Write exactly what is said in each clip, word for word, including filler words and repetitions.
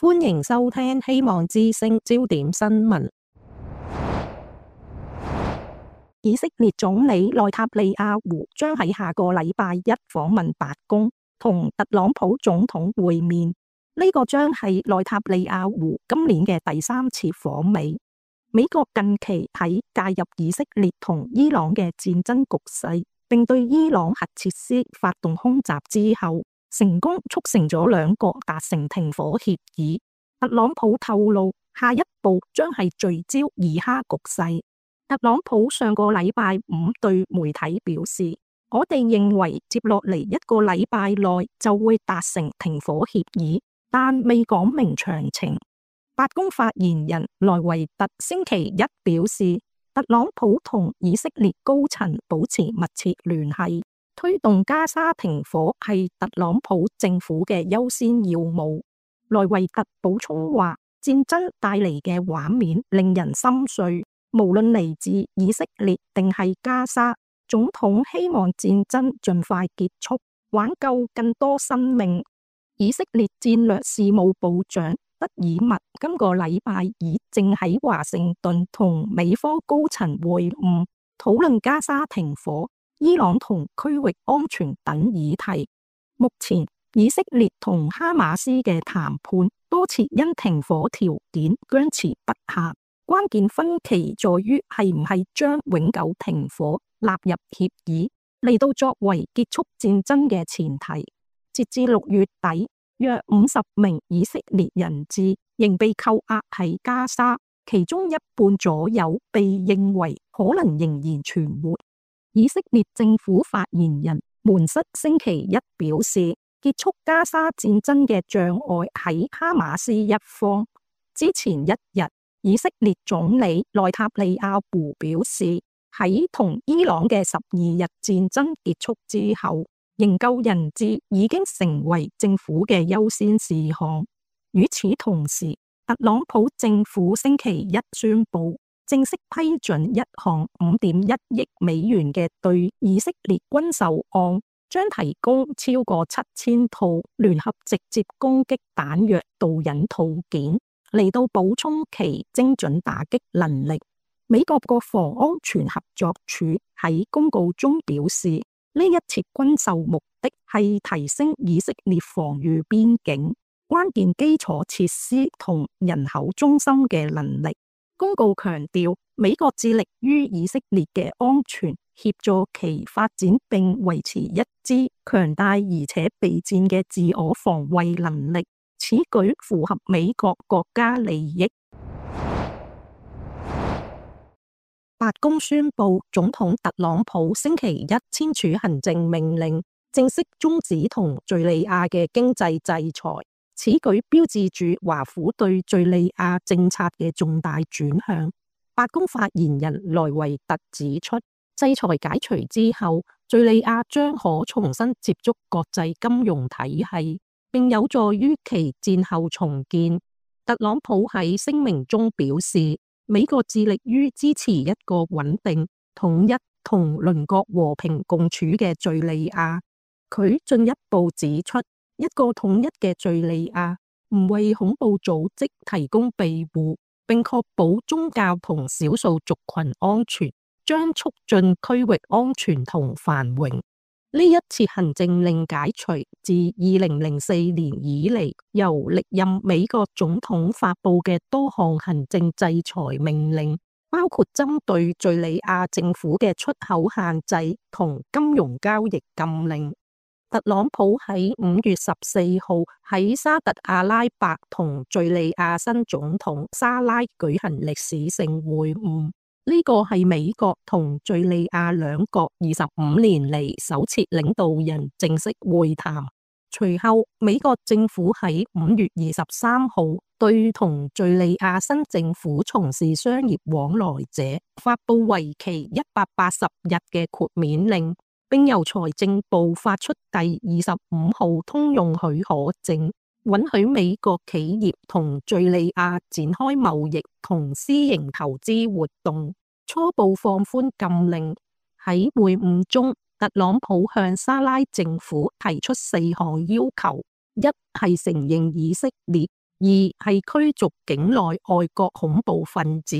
歡迎收聽希望之聲焦點新聞。以色列總理內塔尼亞胡將喺下個禮拜一訪問白宮，同特朗普總統會面。呢、這個將係內塔尼亞胡今年嘅第三次訪美。美國近期喺介入以色列同伊朗嘅戰爭局勢，並對伊朗核設施發動空襲之後，成功促成咗兩國達成停火協議。特朗普透露，下一步將係聚焦以哈局勢。特朗普上個禮拜五對媒體表示，我哋認為接落嚟一個禮拜內就會達成停火協議，但未講明詳情。白宮發言人萊維特星期一表示，特朗普同以色列高層保持密切聯繫，推動加沙停火係特朗普政府嘅優先要務。萊維特補充話，戰爭帶嚟嘅畫面令人心碎，無論嚟自以色列定係加沙，總統希望戰爭盡快結束，挽救更多生命。以色列戰略事務部長德爾默今個禮拜已正喺華盛頓同美方高層會晤，討論加沙停火、伊朗同區域安全等議題。目前以色列同哈馬斯嘅談判多次因停火條件僵持不下，關鍵分歧在於係唔係將永久停火納入協議，嚟到作為結束戰爭嘅前提。截至六月底，約五十名以色列人質仍被扣押喺加沙，其中一半左右被認為可能仍然存活。以色列政府發言人門塞星期一表示，結束加沙戰爭嘅障礙喺哈馬斯一方。之前一日，以色列總理內塔尼亞胡表示，喺同伊朗嘅十二日戰爭結束之後，營救人質已經成為政府嘅優先事項。與此同時，特朗普政府星期一宣布，正式批准一項五點一億美元嘅對以色列軍售案，將提供超過七千套聯合直接攻擊彈藥導引套件，嚟到補充其精準打擊能力。美國國防安全合作署喺公告中表示，呢一次軍售目的係提升以色列防禦邊境、關鍵基礎設施同人口中心嘅能力。公告強調，美國致力於以色列嘅安全，協助其發展並維持一支強大而且備戰嘅自我防衛能力。此舉符合美國國家利益。白宮宣布，總統特朗普星期一簽署行政命令，正式終止同敘利亞嘅經濟制裁。此舉標誌住華府對敘利亞政策嘅重大轉向。白宮發言人萊維特指出，制裁解除之後，敘利亞將可重新接觸國際金融體系，並有助於其戰後重建。特朗普喺聲明中表示，美國致力於支持一個穩定、統一同鄰國和平共處嘅敘利亞。佢進一步指出，一個統一嘅敘利亞唔為恐怖組織提供庇護，並確保宗教同少數族群安全，將促進區域安全同繁榮。呢一次行政令解除自二零零四年以嚟由歷任美國總統發布嘅多項行政制裁命令，包括針對敘利亞政府嘅出口限制同金融交易禁令。特朗普喺五月十四號喺沙特阿拉伯同敘利亞新總統沙拉舉行歷史性會晤。呢個係美國同敘利亞兩國二十五年嚟首次領導人正式會談。隨後，美國政府喺五月二十三號對同敘利亞新政府從事商業往來者發布為期一百八十日嘅豁免令，並由財政部發出第二十五號通用許可證，允許美國企業同敘利亞展開貿易同私營投資活動。初步放寬禁令。喺會晤中，特朗普向沙拉政府提出四項要求：一係承認以色列二係驅逐境內外國恐怖分子，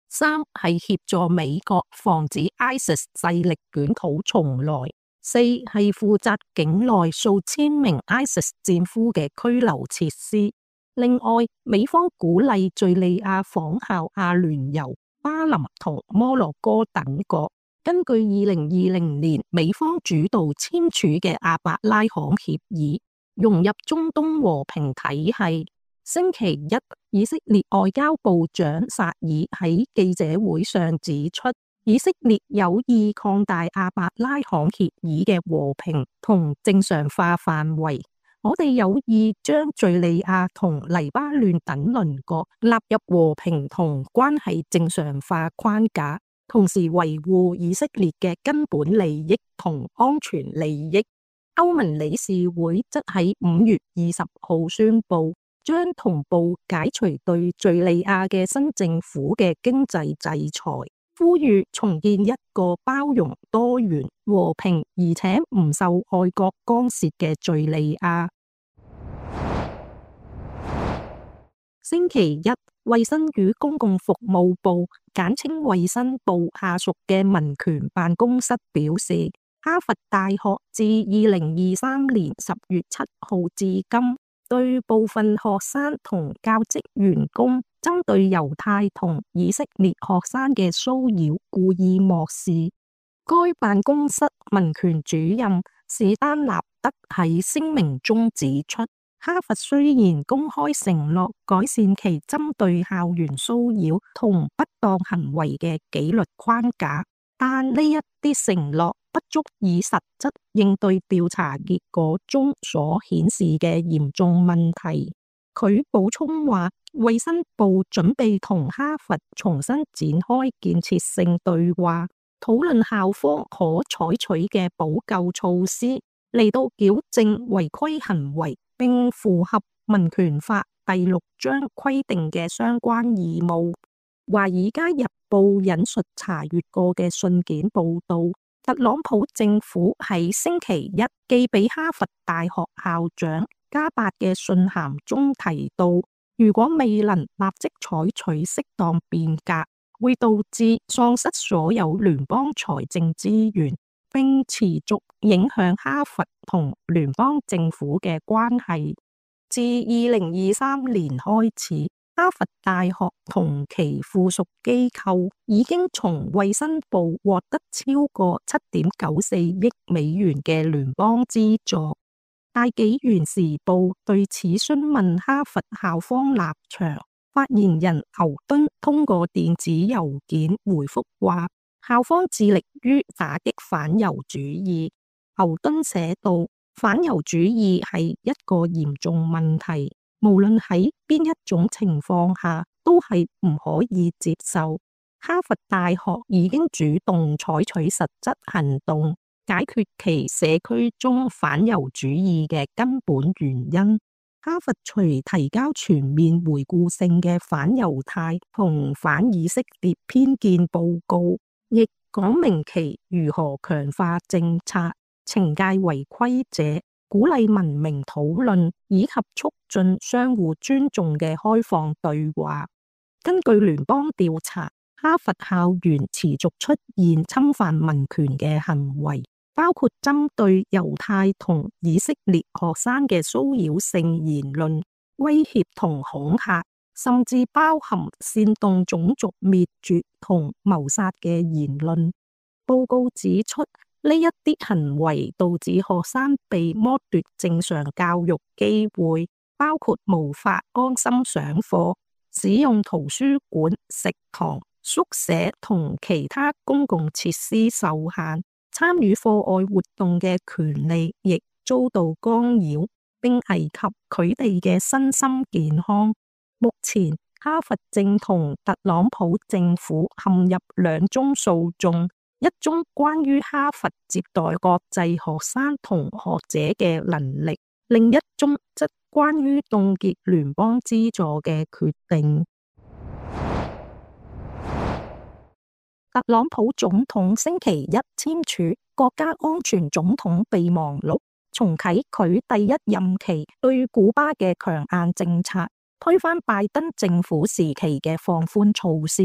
三係協助美國防止 ISIS 勢力捲土重來，四係負責境內數千名 ISIS 戰俘嘅拘留設施。另外，美方鼓勵敘利亞仿效阿聯酋、巴林同摩洛哥等國，根據二零二零年美方主導簽署嘅阿伯拉罕協議，融入中東和平體系。星期一，以色列外交部長薩爾喺記者會上指出，以色列有意擴大阿伯拉罕協議嘅和平同正常化範圍。我哋有意將敘利亞同黎巴嫩等鄰國納入和平同關係正常化框架，同時維護以色列嘅根本利益同安全利益。歐盟理事會則喺五月二十號宣布，將同步解除對敘利亞嘅新政府嘅經濟制裁，呼籲重建一個包容、多元、和平而且唔受外國干涉嘅敘利亞。星期一，衛生與公共服務部簡稱衛生部下屬嘅民權辦公室表示，哈佛大學自二零二三年十月七號至今，對部分學生同教職員工針對猶太同以色列學生嘅騷擾故意漠視。該辦公室民權主任史丹納德喺聲明中指出，哈佛雖然公開承諾改善其針對校園騷擾同不當行為嘅紀律框架，但呢一啲承諾不足以實質應對調查結果中所顯示嘅嚴重問題。佢補充話，衛生部準備同哈佛重新展開建設性對話，討論校方可採取嘅補救措施，嚟到矯正違規行為，並符合民權法第六章規定嘅相關義務。華爾街日報引述查閱過嘅信件報道，特朗普政府喺星期一寄俾哈佛大學校長加伯嘅信函中提到，如果未能立即採取適當變革，會導致喪失所有聯邦財政資源，並持續影響哈佛同聯邦政府嘅關係。自二零二三年開始，哈佛大學同其附屬機構已經從衛生部獲得超過七點九四億美元嘅聯邦資助。大紀元時報對此詢問哈佛校方立場，發言人牛頓通過電子郵件回覆話，校方致力於打擊反猶主義。牛頓寫道，反猶主義係一個嚴重問題，無論喺邊一種情況下都係唔可以接受。哈佛大學已經主動採取實質行動，解決其社區中反猶主義嘅根本原因。哈佛除提交全面回顧性嘅反猶太同反以色列偏見報告，亦講明其如何強化政策，懲戒違規者，鼓勵文明討論，以及促進相互尊重嘅開放對話。根據聯邦調查，哈佛校園持續出現侵犯民權嘅行為，包括針對猶太同以色列學生嘅騷擾性言論、威脅同恐嚇，甚至包含煽動種族滅絕同謀殺嘅言論。報告指出，呢一啲行為導致學生被剝奪正常教育機會，包括無法安心上課、使用圖書館、食堂、宿舍同其他公共設施受限，參與課外活動嘅權利亦遭到干擾，並危及佢哋嘅身心健康。目前，哈佛正同特朗普政府陷入兩宗訴訟，一宗關於哈佛接待國際學生同學者嘅能力，另一宗則關於凍結聯邦資助嘅決定。特朗普總統星期一簽署國家安全總統備忘錄，重啟佢第一任期對古巴嘅強硬政策，推翻拜登政府時期嘅放寬措施。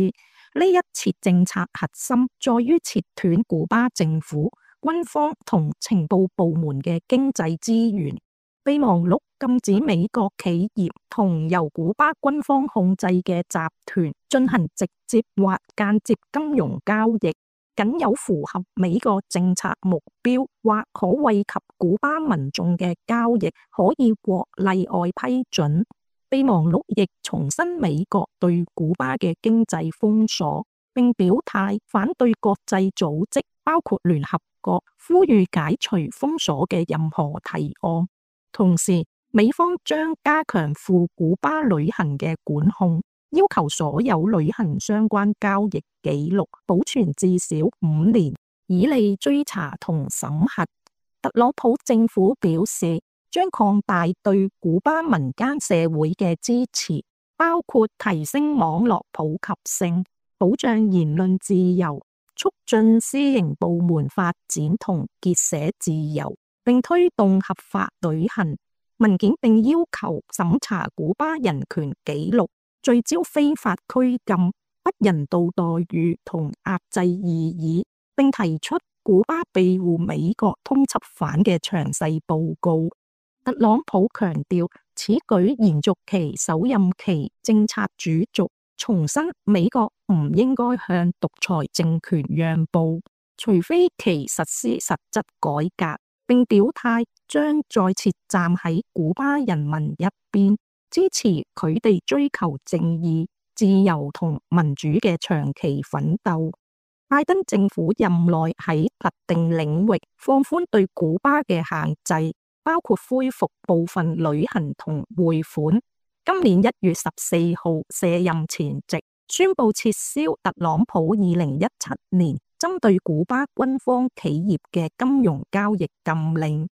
呢一切政策核心在於切斷古巴政府、軍方同情報部門嘅經濟資源。備忘錄禁止美國企業同由古巴軍方控制嘅集團進行直接或間接金融交易，僅有符合美國政策目標或可惠及古巴民眾嘅交易可以獲例外批准。備忘錄亦重申美國對古巴嘅經濟封鎖，並表態反對國際組織包括聯合國呼籲解除封鎖嘅任何提案。同時，美方將加強赴古巴旅行嘅管控，要求所有旅行相關交易記錄保存至少五年，以利追查同審核。特朗普政府表示，將擴大對古巴民間社會嘅支持，包括提升網絡普及性、保障言論自由、促進私營部門發展同結社自由，並推動合法旅行。文件並要求審查古巴人權紀錄，聚焦非法拘禁、不人道待遇同壓制異議，並提出古巴庇護美國通緝犯嘅詳細報告。特朗普強調，此舉延續其首任期政策主軸，重申美國唔應該向獨裁政權讓步，除非其實施實質改革，並表態將再次站喺古巴人民一邊，支持佢哋追求正義、自由同民主嘅長期奮鬥。拜登政府任內喺特定領域放寬對古巴嘅限制，包括恢復部分旅行同匯款。今年一月十四號卸任前夕，宣布撤銷特朗普二零一七年針對古巴軍方企業嘅金融交易禁令。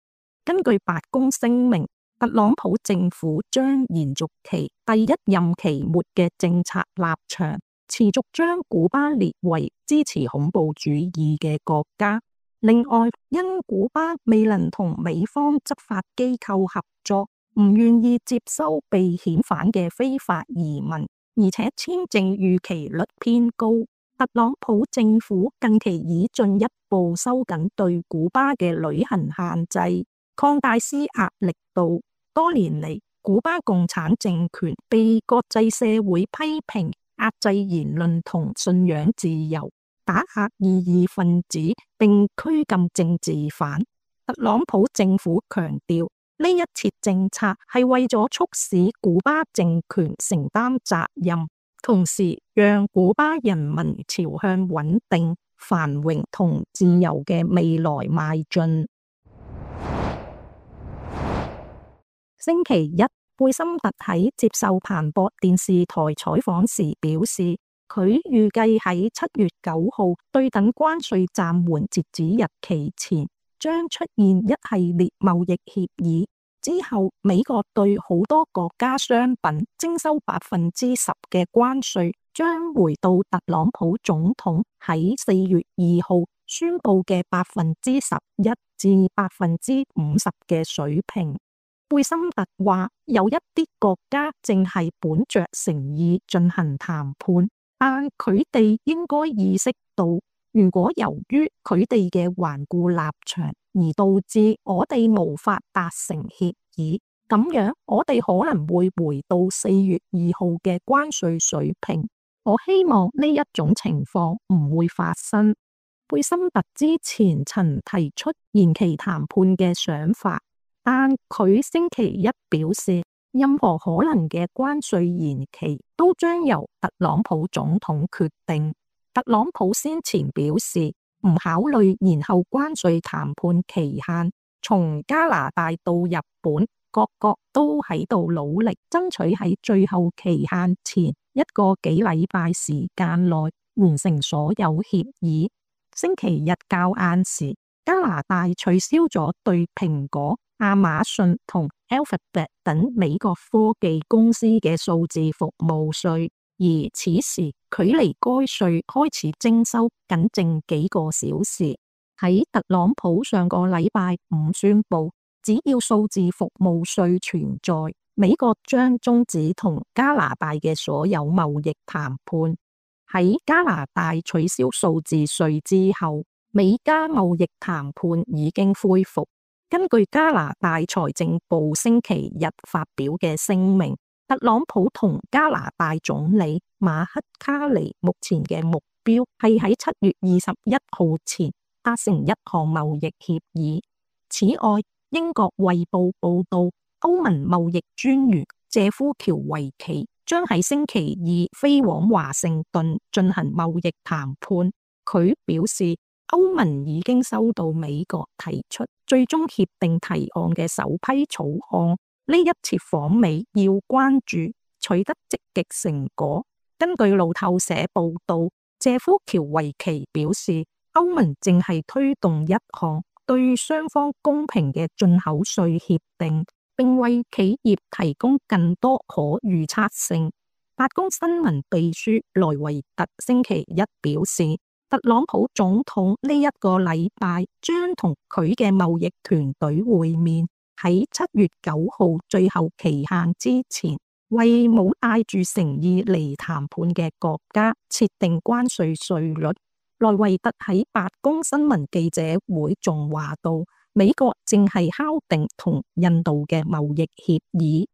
根據白宮聲明，特朗普政府將延續其第一任期末嘅政策立場，持續將古巴列為支持恐怖主義嘅國家。另外，因古巴未能同美方執法機構合作，唔願意接收被遣返嘅非法移民，而且簽證逾期率偏高，特朗普政府近期已進一步收緊對古巴嘅旅行限制，擴大施壓力度。多年嚟，古巴共產政權被國際社會批評壓制言論同信仰自由，打壓異議分子，並拘禁政治犯。特朗普政府強調，呢一切政策係為咗促使古巴政權承擔責任，同時讓古巴人民朝向穩定、繁榮同自由嘅未來邁進。星期一，貝森特喺接受彭博電視台採訪時表示，佢預計喺七月九號對等關稅暫緩截止日期前，將出現一系列貿易協議。之後，美國對好多國家商品徵收百分之十嘅關稅，將回到特朗普總統喺四月二號宣布嘅百分之十一至百分之五十嘅水平。貝森特話，有一啲國家正係本着誠意進行談判。但佢哋應該意識到，如果由於佢哋嘅頑固立場而導致我哋無法達成協議，咁樣我哋可能會回到四月二號嘅關稅水平。我希望呢一種情況唔會發生。貝森特之前曾提出延期談判嘅想法，但佢星期一表示，任何可能嘅關稅延期都將由特朗普總統決定。特朗普先前表示唔考慮延後關稅談判期限。從加拿大到日本，各國都喺度努力爭取喺最後期限前一個幾禮拜時間內完成所有協議。星期日較晏時，加拿大取消咗對蘋果、亞馬遜同 Alphabet 等美國科技公司嘅數字服務稅，而此時距離該稅開始徵收僅剩幾個小時。喺特朗普上個禮拜五宣布，只要數字服務稅存在，美國將終止同加拿大嘅所有貿易談判。喺加拿大取消數字稅之後，美加貿易談判已經恢復。根據加拿大財政部星期日發表嘅聲明，特朗普同加拿大總理馬克卡尼目前嘅目標係喺七月二十一號前達成一項貿易協議。此外，英國衛報報道，歐盟貿易專員謝夫喬維奇將喺星期二飛往華盛頓進行貿易談判。佢表示，歐盟已經收到美國提出最終協定提案嘅首批草案，呢一次訪美要關注取得積極成果。根據路透社報道，謝夫喬維奇表示，歐盟正係推動一項對雙方公平嘅進口稅協定，並為企業提供更多可預測性。白宮新聞秘書萊維特星期一表示，特朗普總統呢一個禮拜將同佢嘅貿易團隊會面，喺七月九號最後期限之前，為冇帶住誠意嚟談判嘅國家設定關稅稅率。萊維特喺白宮新聞記者會仲話到，美國正係敲定同印度嘅貿易協議。